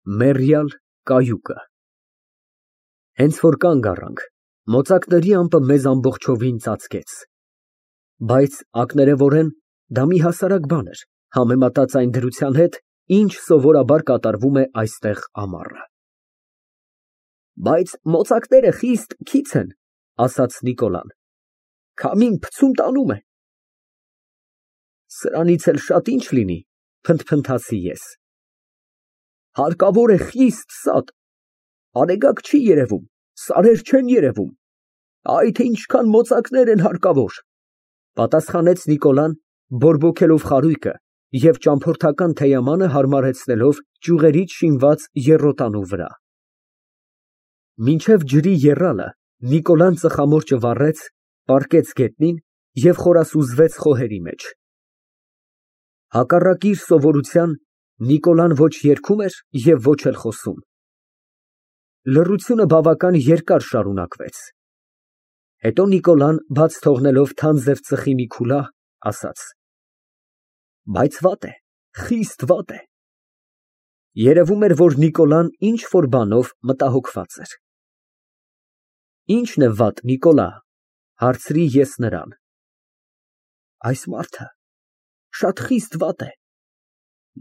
Մեռյալ կայուկը։ Հենց որ կանգ առանք, մոծակների ամպը մեզ ամբողջովին ծածկեց, բայց ակներևորեն դա մի հասարակ բան էր, համեմատած այն դրության հետ, ինչ սովորաբար կատարվում է այստեղ ամառը։ Բայց մոծակները խիստ քիչ են, ասաց Նիկոլան, քամին փցում տանում է։ Սրանից էլ շատ ինչ լինի, փնթփնթացի ես։ Հարկավոր է խիստ սատ, արեգակ չի երևում, սարեր չեն երևում, այ թե ինչքան մոծակներ են հարկավոր, պատասխանեց Նիկոլան, բորբոքելով խարույկը և ճամփորդական թեյամանը հարմարեցնելով ճյուղերից շինված եռոտանու վրա։ Մինչև ջրի եռալը Նիկոլան ծխամորճը վառեց, պառկեց գետնին և խորասուզվեց խոհերի մեջ։ Հակառակ իր սովորության, Նիկոլան ոչ երգում էր և ոչ էլ խոսում։ Լռությունը բավական երկար շարունակվեց։ Հետո Նիկոլան, բաց թողնելով թանձր ծխի մի քուլա, ասաց. Բայց վատ է, խիստ վատ է։ Երևում էր, որ Նիկոլան ինչ֊որ բանով մտահոգված էր։ Ի՞նչն է վատ, Նիկոլա, հարցրի ես նրան։ Այս մարդը շատ խիստ վատ է։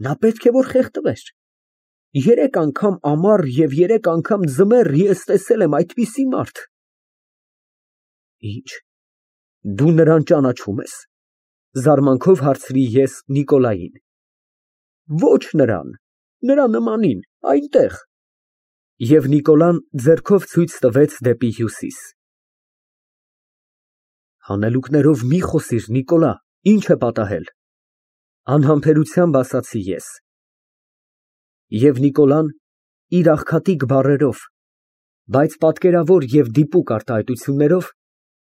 Նա պետք է որ խեղդվեր։ 3 անգամ ամառ և 3 անգամ ձմեռ ես տեսել եմ այդպիսի մարդ։ Ինչ, դու նրան ճանաչո՞ւմ ես, զարմանքով հարցրի ես Նիկոլային։ Ոչ նրան, նրա նմանին, այնտեղ։ Եվ Նիկոլան ձեռքով ցույց տվեց դեպի հյուսիս։ Հանելուկներով մի խոսիր, Նիկոլա, ինչ է պատահել, անհամբերությամբ ասացի ես։ Եվ Նիկոլան իր աղքատիկ բառերով, բայց պատկերավոր և դիպուկ արտահայտություններով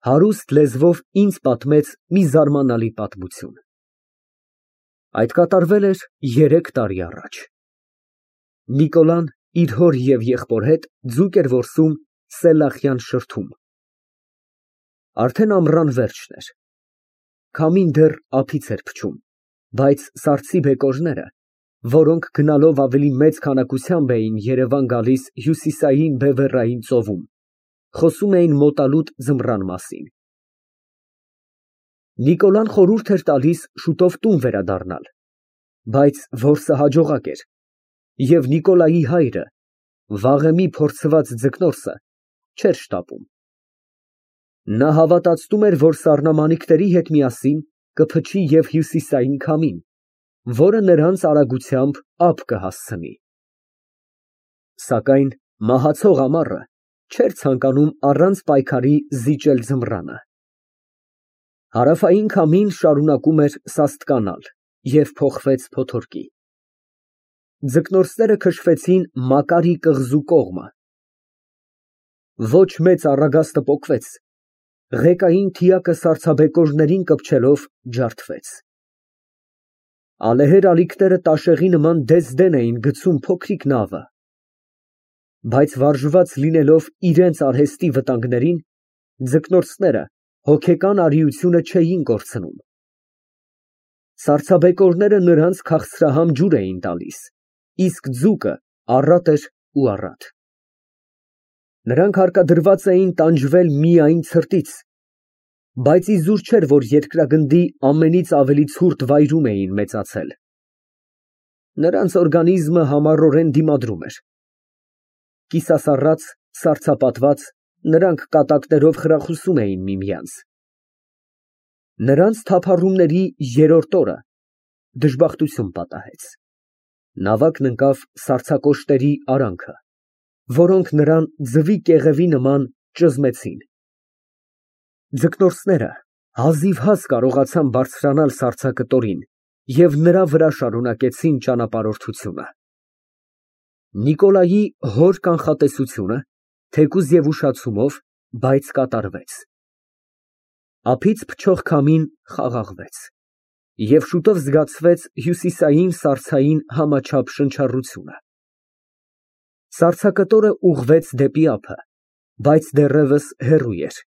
հարուստ լեզվով ինձ պատմեց մի զարմանալի պատմություն։ Այդ կատարվել էր 3 տարի առաջ։ Նիկոլան իր հոր և եղբոր հետ ձուկ էր որսում Սելլախյան շրթում։ Արդեն ամռան վերջն էր։ Քամին դեռ ափից էր փչում, բայց սառցի բեկորները, որոնք գնալով ավելի մեծ քանակությամբ էին Երևան գալիս հյուսիսային բևեռային ծովում, խոսում էին մոտալուտ ձմռան մասին։ Նիկոլան խորհուրդ էր տալիս շուտով տուն վերադառնալ, բայց որսը հաջողակ էր, և Նիկոլայի հայրը, վաղեմի փորձված ձկնորսը, չէր շտապում։ Նա հավատացնում էր, որ սառնամանիքների հետ միասին կփչի և հյուսիսային քամին, որը նրանց արագությամբ ափ կհասցնի։ Սակայն մահացող ամառը չէր ցանկանում առանց պայքարի զիջել ձմռանը։ Հարավային քամին շարունակում էր սաստկանալ և փոխվեց փոթորկի։ Ձկնորսները քշվեցին Մակարի կղզու կողմը։ Ոչ մեծ առագաստը պոկվեց, ղեկային թիակը սառցաբեկորներին կպչելով ջարդվեց։ Ալեհեր ալիքները տաշեղի նման դես֊դեն էին գցում փոքրիկ նավը, բայց վարժված լինելով իրենց արհեստի վտանգներին, ձկնորսները հոգեկան արիությունը չէին կորցնում։ Սառցաբեկորները նրանց քաղցրահամ ջուր էին տալիս, իսկ ձուկը առատ էր ու առատ։ Նրանք հարկադրված էին տանջվել միայն ցրտից, բայց իզուր չէր, որ երկրագնդի ամենից ավելի ցուրտ վայրում էին մեծացել։ Նրանց օրգանիզմը համառորեն դիմադրում էր։ Կիսասառած, սառցապատված, նրանք կատակներով խրախուսում էին միմյանց։ Նրանց թափառումների 3-րդ օրը դժբախտություն պատահեց։ Նավակն ընկավ սառցակոշտերի արանքը, որոնք նրան ձվի կեղևի նման ճզմեցին։ Ձկնորսները հազիվհազ կարողացան բարձրանալ սառցակտորին և նրա վրա շարունակեցին ճանապարհորդությունը։ Նիկոլայի հոր կանխատեսությունը, թեկուզ և ուշացումով, բայց կատարվեց։ Ափից փչող քամին խաղաղվեց, և շուտով զգացվեց հյուսիսային սառցային համաչափ շնչառությունը։ Սառցակտորը ուղղվեց դեպի ափը, բայց դեռևս հեռու էր,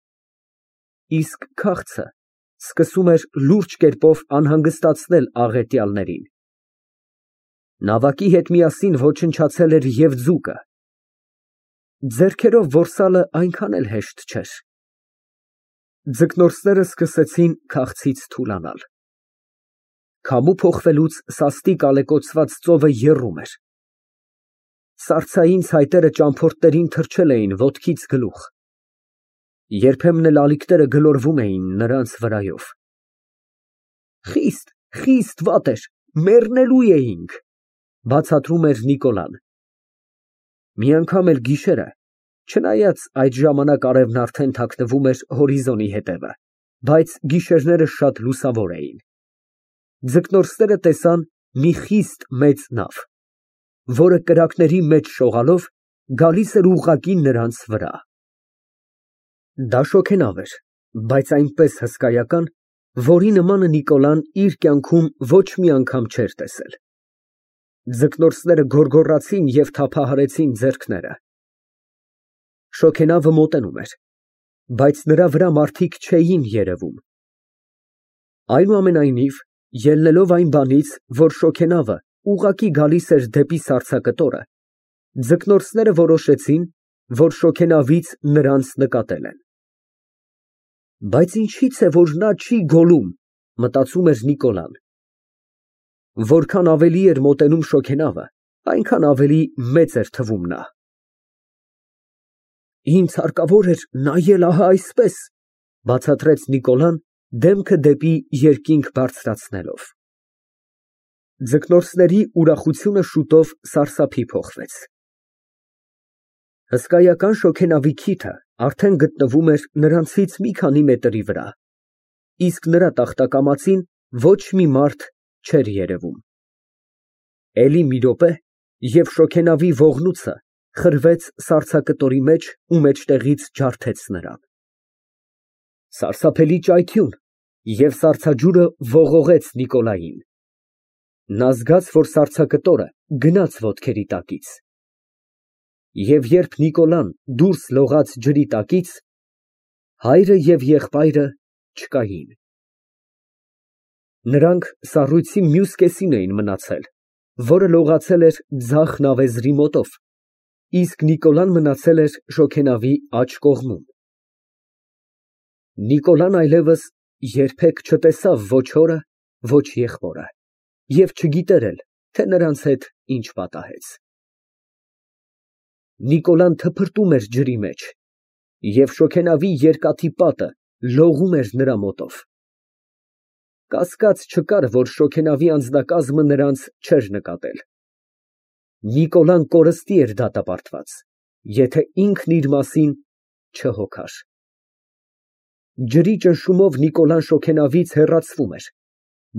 իսկ քաղցը սկսում էր լուրջ կերպով անհանգստացնել աղետյալներին։ Նավակի հետ միասին ոչնչացել էր և ձուկը։ Ձեռքերով որսալը այնքան էլ հեշտ չէր։ Ձկնորսները սկսեցին քաղցից թուլանալ։ Քամու փոխվելուց սաստիկ ալեկոծված ծովը եռում էր։ Սառցային ցայտերը ճամփորդներին թռչել էին ոտքից գլուխ։ Երբեմն էլ ալիքները գլորվում էին նրանց վրայով։ Խիստ վատ էր, մեռնելու էինք, բացատրում էր Նիկոլան։ Մի անգամ էլ գիշերը, չնայած այդ ժամանակ արևն արդեն թաքնվում էր հորիզոնի հետևը, բայց գիշերները շատ լուսավոր էին, ձկնորսները տեսան մի խիստ մեծ նավ, որը կրակների մեջ շողալով գալիս էր ուղղակի նրանց վրա։ Դա շոգենավ էր, բայց այնպես հսկայական, որի նմանը Նիկոլան իր կյանքում ոչ մի անգամ չէր տեսել։ Ձկնորսները գոռգոռացին և թափահարեցին ձեռքները։ Շոգենավը մոտենում էր, բայց նրա վրա մարդիկ չէին երևում։ Այնուամենայնիվ, ելնելով այն բանից, որ շոգենավը ուղղակի գալիս էր դեպի սառցակտորը, ձկնորսները որոշեցին, որ շոգենավից նրանց նկատել են։ Բայց ինչի՞ց է, որ նա չի գոլում, մտածում էր Նիկոլան։ Որքան ավելի էր մոտենում շոգենավը, այնքան ավելի մեծ էր թվում նա։ Ինձ հարկավոր էր նայել ահա այսպես, բացատրեց Նիկոլան, դեմքը դեպի երկինք բարձրացնելով։ Ձկնորսների ուրախությունը շուտով սարսափի փոխվեց։ Հսկայական շոգենավի քիթը արդեն գտնվում էր նրանցից մի քանի մետրի վրա, իսկ նրա տախտակամածին ոչ մի մարդ չէր երևում։ Էլի մի րոպե, և շոգենավի ողնույցը խրվեց սառցակտորի մեջ ու մեջտեղից ջարդեց նրան։ Սարսափելի ճայթյուն, և սառցաջուրը ողողեց Նիկոլային։ Նա զգաց, որ սառցակտորը գնաց ոտքերի տակից։ Եվ երբ Նիկոլան դուրս լողաց ջրի տակից, հայրը և եղբայրը չկային։ Նրանք սառույցի մյուս կեսին էին մնացել, որը լողացել էր ձախ նավեզրի մոտով, իսկ Նիկոլան մնացել էր շոգենավի աջ կողմում։ Նիկոլան այլևս երբեք չտեսավ ոչ հորը, ոչ եղբորը և չգիտեր էլ, թե նրանց հետ ինչ պատահեց։ Նիկոլան թփրտում էր ջրի մեջ, և շոգենավի երկաթի պատը լողում էր նրա մոտով։ Կասկած չկար, որ շոգենավի անձնակազմը նրանց չէր նկատել։ Նիկոլան կորստի էր դատապարտված, եթե ինքն իր մասին չհոգար։ Ջրի ճնշումով Նիկոլան շոգենավից հեռացվում էր,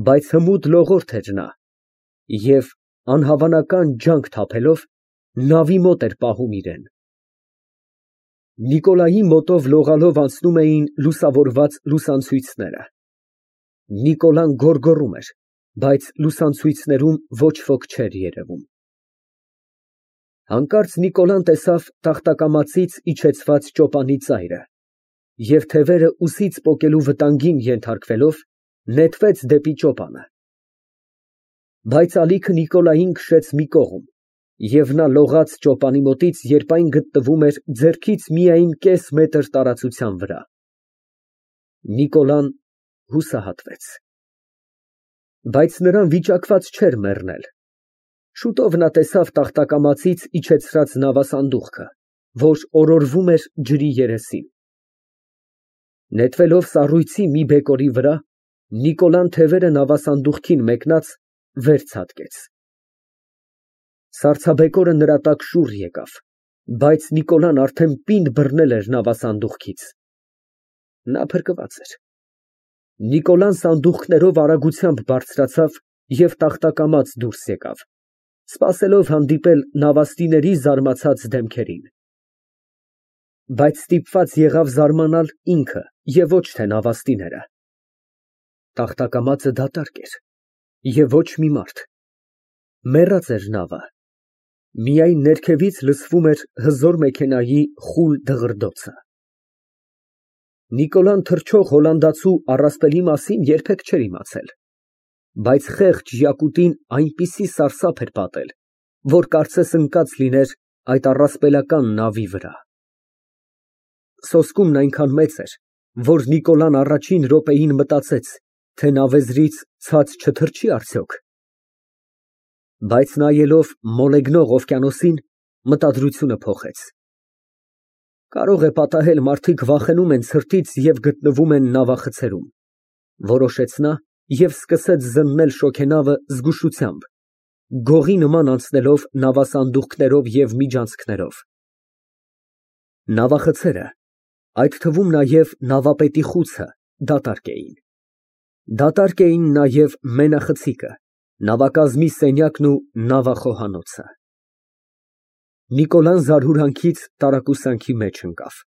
բայց հմուտ լողորդ էր նա, և անհավանական ջանք թափելով, նավի մոտ էր պահում իրեն։ Նիկոլայի մոտով լողալով անցնում էին լուսավորված լուսանցույցները։ Նիկոլան գոռգոռում էր, բայց լուսանցույցներում ոչ ոք չէր երևում։ Հանկարծ Նիկոլան տեսավ տախտակամածից իջեցված ճոպանի ծայրը և թևերը ուսից պոկելու վտանգին ենթարկվելով, նետվեց դեպի ճոպանը։ Բայց ալիքը Նիկոլային քշեց մի կողմ, և նա լողաց ճոպանի մոտից, երբ այն գտնվում էր ձեռքից միայն կես մետր տարածության վրա։ Նիկոլան հուսահատվեց։ Բայց նրան վիճակված չէր մեռնել։ Շուտով նա տեսավ տախտակամածից իջեցրած նավասանդուղքը, որ օրորվում էր ջրի երեսին։ Նետվելով սառույցի մի բեկորի վրա, Նիկոլան թևերը նավասանդուղքին մեկնած վեր ցատկեց։ Սառցաբեկորը նրա տակ շուռ եկավ, բայց Նիկոլան արդեն պինդ բռնել էր նավասանդուղքից։ Նա փրկված էր։ Նիկոլան սանդուղքներով արագությամբ բարձրացավ և տախտակամած դուրս եկավ, սպասելով հանդիպել նավաստիների զարմացած դեմքերին։ Բայց ստիպված եղավ զարմանալ ինքը և ոչ թե նավաստիները։ Տախտակամածը դատարկ էր, և ոչ մի մարդ։ Մեռած էր նավը։ Միայն ներքևից լսվում էր հզոր մեքենայի խուլ դղրդոցը։ Նիկոլան թռչող հոլանդացու առասպելի մասին երբեք չէր իմացել։ Բայց խեղճ Յակուտին այնպիսի սարսափ էր պատել, որ կարծես ընկած լիներ այդ առասպելական նավի վրա։ Սոսկումն այնքան մեծ էր, որ Նիկոլան առաջին րոպեին մտածեց, թե նավեզրից ցած չթռչի արդյոք։ Բայց նայելով մոլեգնող օվկիանոսին, մտադրությունը փոխեց։ Կարող է պատահել մարդիկ վախենում են ցրտից և գտնվում են նավախցերում, որոշեց նա և սկսեց զննել շոգենավը զգուշությամբ, գողի նման անցնելով նավասանդուղքներով և միջանցքներով։ Նավախցերը, այդ թվում նաև նավապետի խուցը, դատարկ էին։ Դատարկ էին նաև մենախցիկը, նավակազմի սենյակն ու նավախոհանոցը։ Նիկոլան զարհուրանքից տարակուսանքի մեջ ընկավ։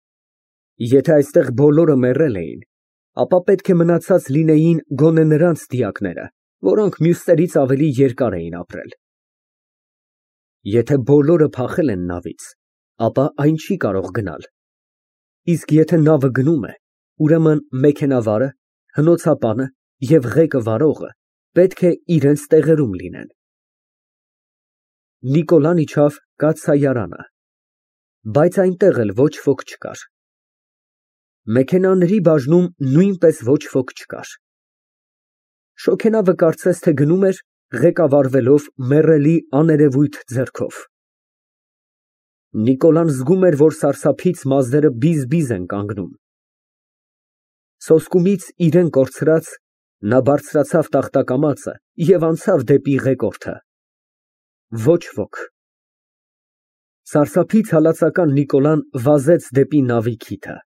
Եթե այստեղ բոլորը մեռել էին, ապա պետք է մնացած լինեին գոնե նրանց դիակները, որոնք մյուսներից ավելի երկար էին ապրել։ Եթե բոլորը փախել են նավից, ապա այն չի կարող գնալ։ Իսկ եթե նավը գնում է, ուրեմն մեքենավարը, հնոցապանը և ղեկը վարողը պետք է իրենց տեղերում լինեն։ Նիկոլան իջավ կաթսայարանը, բայց այնտեղ էլ ոչ ոք չկար։ Մեքենաների բաժնում նույնպես ոչ ոք չկար։ Շոգենավը կարծես թե գնում էր, ղեկավարվելով մեռելի աներևույթ ձեռքով։ Նիկոլան զգում էր, որ սարսափից մազերը բիզ֊բիզ են կանգնում։ Սոսկումից իրեն կորցրած, նա բարձրացավ տախտակամածը և անցավ դեպի ղեկորդը։ Ոչ ոք։ Սարսափից հալածական Նիկոլան վազեց դեպի նավի քիթը։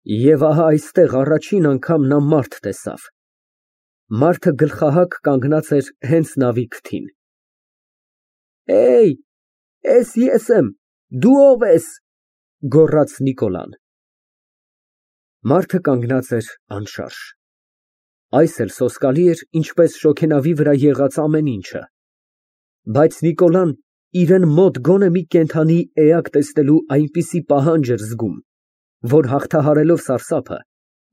Եվ ահա այստեղ առաջին անգամ նա մարդ տեսավ։ Մարդը գլխահակ կանգնած էր հենց նավի քթին։ Էս ես եմ, դու ո՞վ ես, գոռաց Նիկոլան։ Մարդը կանգնած էր անշարժ։ Այս էլ սոսկալի էր, ինչպես շոգենավի վրա եղած ամեն ինչը։ Բայց Նիկոլան իրեն մոտ գոնե մի կենդանի էակ տեսնելու այնպիսի պահանջ էր զգում, որ հաղթահարելով սարսափը,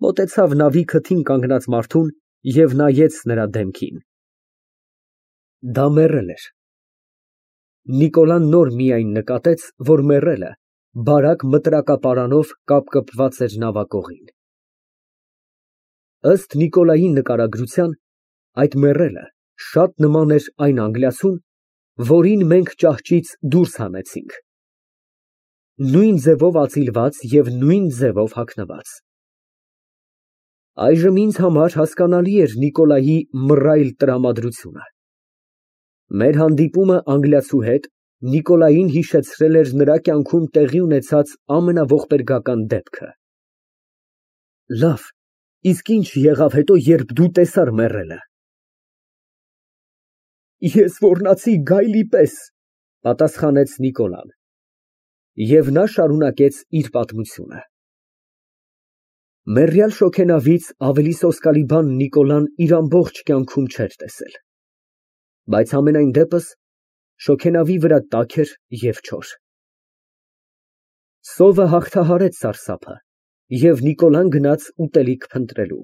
մոտեցավ նավի քթին կանգնած մարդուն և նայեց նրա դեմքին։ Դա մեռել էր։ Նիկոլան նոր միայն նկատեց, որ մեռելը բարակ մտրակապարանով կապկպված էր նավակողին։ Ըստ Նիկոլայի նկարագրության, այդ մեռելը շատ նման էր այն անգլիացուն, որին մենք ճահճից դուրս հանեցինք, նույն ձևով ածիլված և նույն ձևով հագնված։ Այժմ ինձ համար հասկանալի էր Նիկոլայի մռայլ տրամադրությունը։ Մեր հանդիպումը անգլիացու հետ Նիկոլային հիշեցրել էր նրա կյանքում տեղի ունեցած ամենաողբերգական դեպքը։ Լավ, իսկ ինչ եղավ հետո, երբ դու տեսար մեռելը։ Ես ոռնացի գայլի պես, պատասխանեց Նիկոլան։ Եվ նա շարունակեց իր պատմությունը։ Մեռյալ շոգենավից ավելի սոսկալի բան Նիկոլան իր ամբողջ կյանքում չէր տեսել։ Բայց համենայն դեպս շոգենավի վրա տաք էր և չոր։ Սովը հաղթահարեց սարսափը, և Նիկոլան գնաց ուտելիք փնտրելու։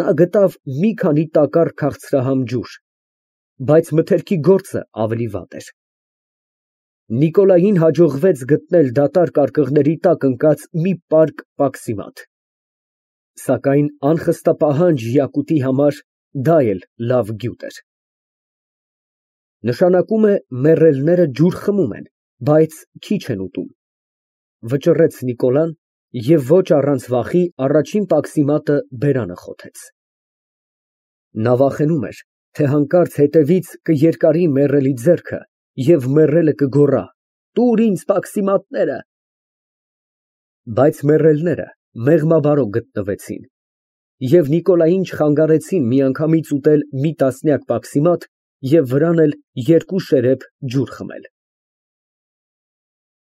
Նա գտավ մի քանի տակառ քաղցրահամ ջուր, բայց մթերքի գործը ավելի վատ էր։ Նիկոլային հաջողվեց գտնել դատարկ արկղերի տակ ընկած մի պարկ պաքսիմատ։ Սակայն անխստապահանջ Յակուտի համար դա էլ լավ գյուտ էր։ Նշանակում է մեռելները ջուր խմում են, բայց քիչ են ուտում, վճռեց Նիկոլան և ոչ առանց վախի առաջին պաքսիմատը բերանը խոթեց։ Նա վախենում էր, թե հանկարծ հետևից կերկարի մեռելի ձեռքը և մեռելը կգոռա. «Տուր ինձ պաքսիմատները»։ Բայց մեռելները մեղմաբարո գտնվեցին, և Նիկոլային չխանգարեցին միանգամից ուտել մի տասնյակ պաքսիմատ և վրան էլ երկու շերեփ ջուր խմել։